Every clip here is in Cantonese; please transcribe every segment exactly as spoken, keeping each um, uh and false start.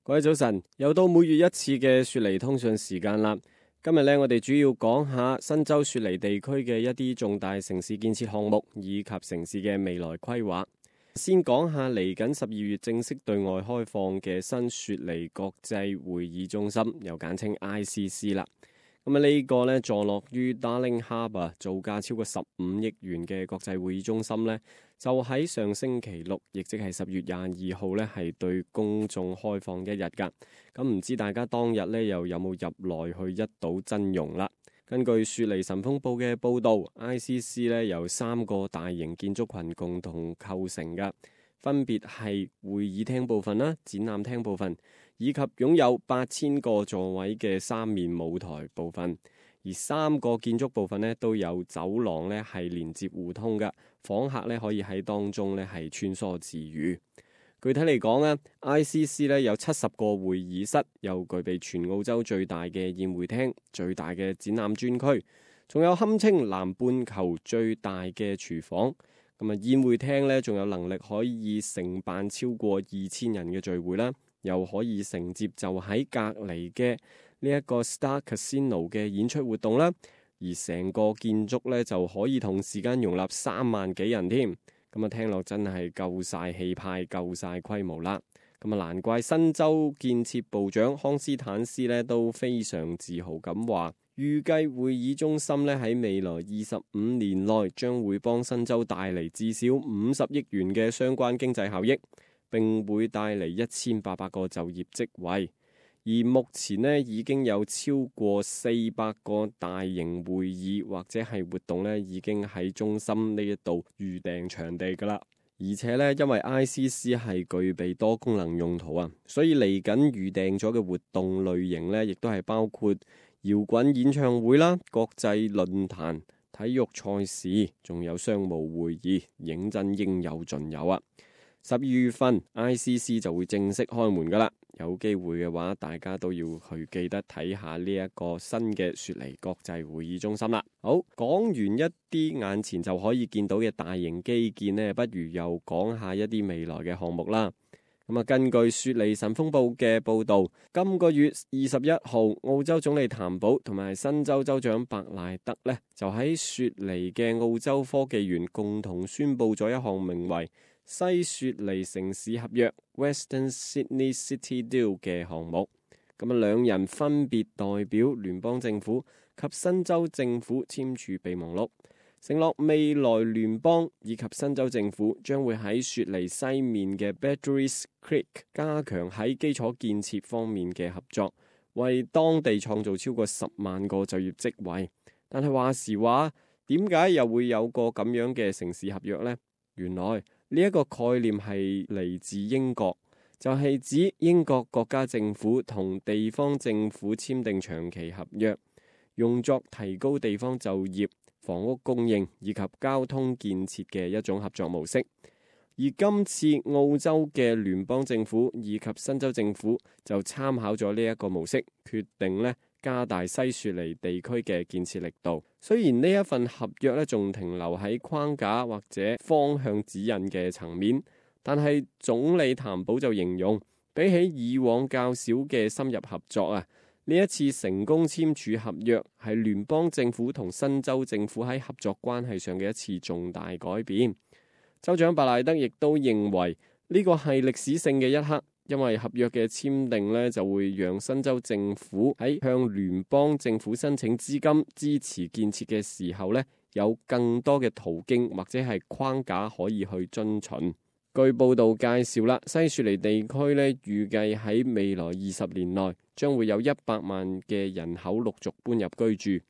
各位早晨，又到每月一次嘅雪梨通訊時間啦。今日咧，我哋主要講下新州雪梨地區嘅一啲重大城市建設項目以及城市嘅未來規劃。先講下嚟緊十二月正式對外開放嘅新雪梨國際會議中心，又簡稱 I C C 啦。咁啊，呢個咧坐落於 Darling Harbour， 造價超過十五億元嘅國際會議中心咧，就喺上星期六，亦即係十月廿二號咧，係對公眾開放一日噶。咁唔知大家當日咧又有冇入內去一睹真容啦？根據雪梨晨鋒報嘅報導 ，I C C 咧由三個大型建築群共同構成噶，分別係會議廳部分啦、展覽廳部分，以及擁有八千個座位嘅三面舞台部分。而三個建築部分咧都有走廊咧係連接互通嘅，訪客咧可以喺當中咧係穿梭自如。具體嚟講咧 ，I C C 咧有七十個會議室，又具備全澳洲最大嘅宴會廳、最大嘅展覽專區，仲有堪稱南半球最大嘅廚房。咁啊，宴會廳咧仲有能力可以承辦超過二千人嘅聚會啦，又可以承接就喺隔離嘅呢一個 Star Casino 嘅演出活動啦。而成個建築咧就可以同時間容納三萬幾人添。咁啊，聽落真係夠晒氣派、夠晒規模啦。咁啊，難怪新州建設部長康斯坦斯咧都非常自豪咁話，預計會議中心咧喺未來二十五年內將會幫新州帶嚟至少五十億元嘅相關經濟效益，並會帶嚟一千八百個就業職位。而目前呢，已經有超過四百個大型會議或者係活動呢，已經喺中心呢一度預訂場地㗎啦。而且呢，因為 I C C 係具備多功能用途啊，所以嚟緊預訂咗嘅活動類型呢，亦都係包括搖滾演唱會啦、國際論壇、體育賽事，仲有商務會議，認真應有盡有啊！十二月份 I C C 就會正式開門㗎啦。有機會嘅話，大家都要去記得睇下呢一個新嘅雪梨國際會議中心啦。好，講完一啲眼前就可以見到嘅大型基建呢，不如又講下一啲未來嘅項目啦。咁啊，根據雪梨晨鋒報嘅報導，今個月二十一號，澳洲總理譚寶同埋新州州長白賴德呢，就喺雪梨嘅澳洲科技園共同宣布咗一項名為西雪梨城市合約 Western Sydney City Deal 嘅項目。咁啊，兩人分別代表聯邦政府及新州政府簽署備忘錄，承諾未來聯邦以及新州政府將會喺雪梨西面嘅 Badgerys Creek 加強喺基礎建設方面嘅合作，為當地創造超過十萬個就業職位。但係話時話，點解又會有個咁樣嘅城市合約呢？原來呢一個概念係嚟自英國，就係指英國國家政府同地方政府簽訂長期合約，用作提高地方就業、房屋供應以及交通建設嘅一種合作模式。而今次澳洲嘅聯邦政府以及新州政府就參考咗呢一個模式，決定呢加大西雪梨地區嘅建設力度。雖然呢一份合約咧仲停留喺框架或者方向指引嘅層面，但係總理譚寶就形容，比起以往較少嘅深入合作啊，呢一次成功簽署合約係聯邦政府同新州政府喺合作關係上嘅一次重大改變。州長白賴德亦都認為呢個係歷史性嘅一刻。因為合約嘅簽訂呢，就會讓新州政府喺向聯邦政府申請資金支持建設嘅時候呢，有更多嘅途徑或者係框架可以去遵循。據報道介紹啦，西雪梨地區呢，預計喺未來二十年內將會有一百萬嘅人口陸續搬入居住。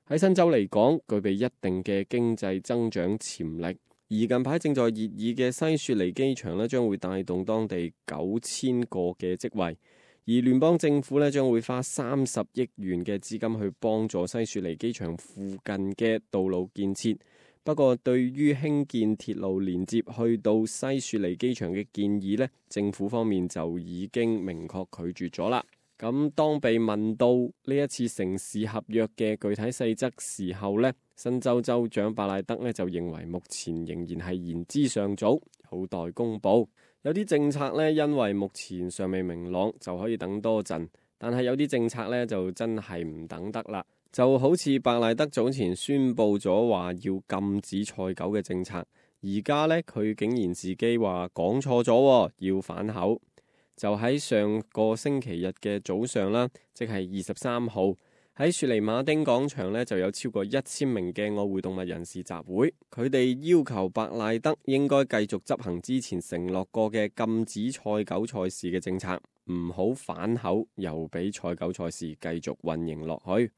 喺新州嚟講，具備一定嘅經濟增長潛力。而近排正在熱議嘅西雪梨機場咧，將會帶動當地九千個嘅職位，而聯邦政府咧將會花三十億元嘅資金去幫助西雪梨機場附近嘅道路建設。不過，對於興建鐵路連接去到西雪梨機場嘅建議咧，政府方面就已經明確拒絕咗啦。咁當被問到呢一次城市合約嘅具體細則時候呢，新州州長白賴德呢就認為目前仍然係言之尚早，有待公佈。有啲政策呢，因為目前尚未明朗，就可以等多陣。但係有啲政策呢，就真係唔等得啦。就好似伯賴德早前宣布咗話要禁止賽狗嘅政策，而家呢，佢竟然自己話講錯咗，要反口。就喺上個星期日嘅早上啦，即係二十三號。喺雪梨馬丁廣場呢，就有超過一千名嘅愛護動物人士集會，佢哋要求伯賴德應該繼續執行之前承諾過嘅禁止賽狗賽事嘅政策，唔好反口，又俾賽狗賽事繼續運營落去。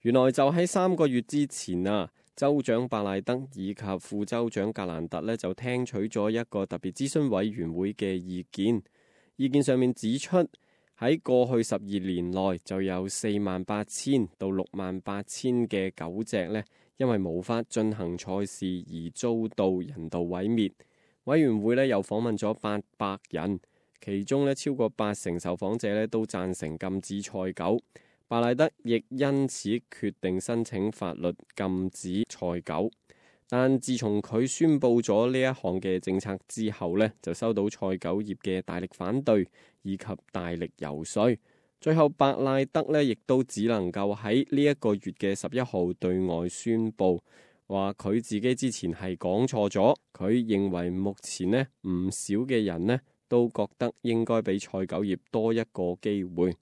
原來就喺三個月之前啊，州長伯賴德以及副州長格蘭特呢，就聽取咗一個特別諮詢委員會嘅意見，意見上面指出，喺過去十二年內就有四萬八千到六萬八千嘅狗隻呢，因為無法進行賽事而遭到人道毀滅。委員會呢又訪問咗八百人，其中呢超過八成受訪者呢都贊成禁止賽狗。伯賴德亦因此決定申請法律禁止賽狗。但自從佢宣布咗呢一項嘅政策之後呢，就收到賽狗業嘅大力反對以及大力游說，最後伯賴德呢亦都只能夠喺呢一個月嘅十一號對外宣布，話佢自己之前係講錯咗。佢認為目前呢唔少嘅人呢都覺得應該俾賽狗業多一個機會。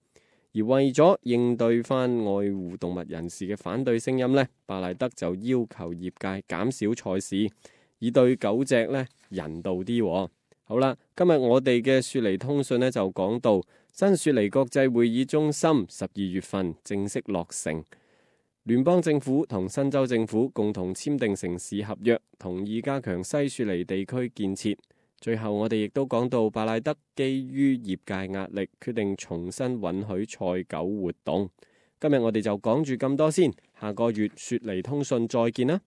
而為咗應對翻愛護動物人士嘅反對聲音呢，伯賴德就要求業界減少賽事，以對狗隻呢人道啲。好啦，今日我哋嘅雪梨通訊呢就講到新雪梨國際會議中心十二月份正式落成，聯邦政府同新州政府共同簽訂城市合約，同意加強西雪梨地區建設。最後我哋亦都講到伯賴德基於業界壓力，決定重新允許賽狗活動。今日我哋就講住咁多先，下個月雪梨通訊再見啦。